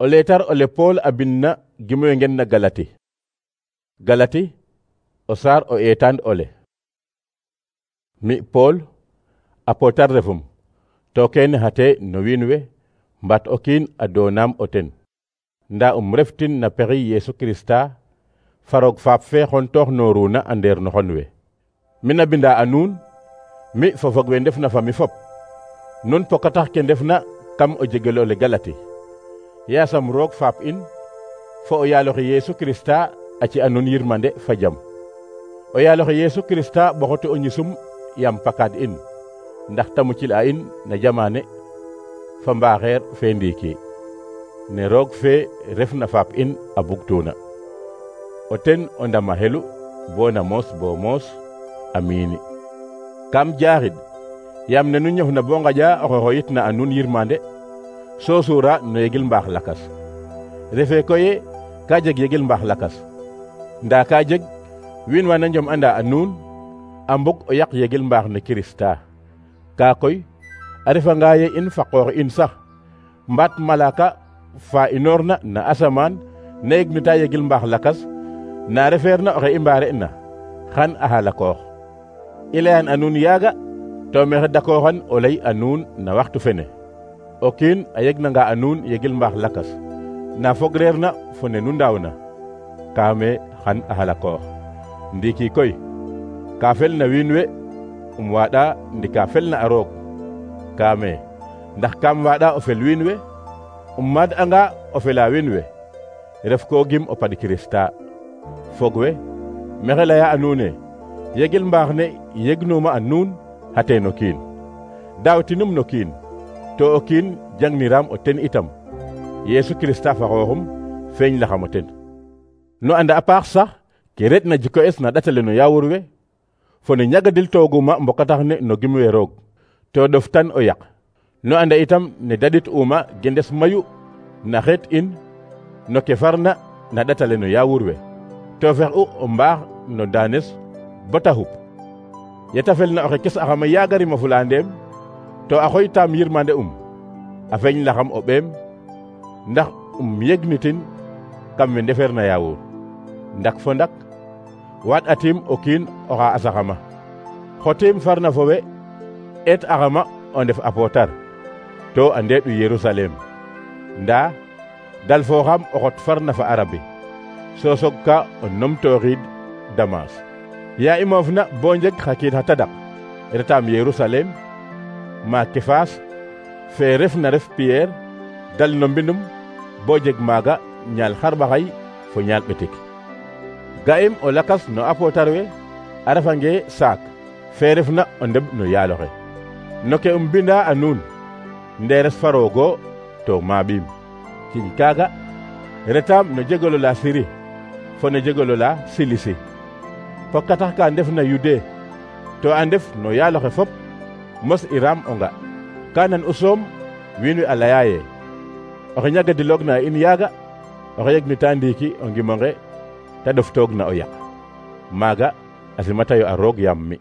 O leetar ole Paul a bindna gimoyo ngen na Galati. Galati o saar o eetaan ole. Mi Paul apotar refum to kene hate no wiin we mbat o kiin a doonam o ten nda reftin na pexey Yesu Krista farog faap fe xontoox nooruna a ndeer no xon we. Mina binda a nuun mi fo fog we ndef na fa mi fop nun pokatax ke ndefna kam o jegel ole Galati. Yaasam roog faap in fo o yaaloxe Yesu Krista a ci a nun yirmande fa jam. O yaaloxe Yesu Krista ɓoxote o ñisum yam pakaad in ndax ta mucil a in na jamaane fa mbaaxeer fe ndiiki ne roog fe refna faap in a bugtuna o ten o ndama xelu bo na moos bo moos. Amiini. Kam jaaxid yam ne nu ñofna bo ngaƴa oxe xoyitna a nun yirmande so suura no yegil mbaax lakas. Refe koye ka jeg yegil mbaax lakas nda ka jeg wiin wa na njom anda a nuun a mbug o yaq yegil mbaax ne Krista. Ka koy a refanga ye in fa qoox in sax mbaat malaka fa inoorna na asamaan na yegnita yegil mbaax lakas na refeerna oxe i mbaare na xan a halakoox. I layan a nuun yaaga to mexe dakooxan o lay a nuun na waxtu fene. O kiin a yegnanga a nuun yegil mbaax lakas na fogreer na fo ne nu ndaawna kaame xan a halakoox. Ndiiki koy ka fel na wiin we waaɗa ndi ka fel na a roog kaame ndax kam waaɗa o fel wiin we maad anga o fela wiin we ref ko gim o pad Krista. Fog we mexe laya a nuune yegil mbaax ne yegnuma a nuun xate no kiin daawtinum no kiin to o kiin jangniram o ten itam Yesu Krista fa xooxum feeñ laxam o ten. No anda a paax sax ke ret na jiko es na ɗatale no yaawur we fo ne ñagadil tooguma mbokatax ne no gim we roog to ɗoftan o yaq. No anda itam ne dadit uma gendes mayu na xeet in no ke farna na ɗatale no yaawur we to fex u o mbaax no daanes bata xup. Yeta fel na oxe kes axama yaagarima fula ndeem to a xoytaam yirmande a feeñ laxam o ɓeem ndax yegnitin kam we ndefeer na yaawur. Ndak fo ndak waat atim o kiin oxa asaxama xotiim farna fo we eet axama o ndef apotar to a ndeeɗu Yerusalem nda dal fooxam o xot farna fa Arabi so soog ka o numtooxiid Damas. Ya i moofna bo njeg xa kiid xa tadak retaam Yerusalem ma Kefaas fe ref na ref Pierre dal no mbindum bo jeg maaga ñaal xarɓaxay fo ñaal ɓetik. Ga'im o lakas no apotar we a refange saak fe refna o ndeɓ no yaaloxe no ke binda a nuun nderes faroogo to maaɓiim. Ciñ kaaga retaam no jegolo la Siri fo no jegolo la Silisi pokatax ka ndef na Yude to a ndef no yaaloxe fop mos iram o nga kanan u soom wiin we a laya ye oxe ñagadiloog na in yaaga oxe yegnita ndiiki o ngimonge ta ɗoftoog na o yaq. Maaga a simatayo a roog yaam mi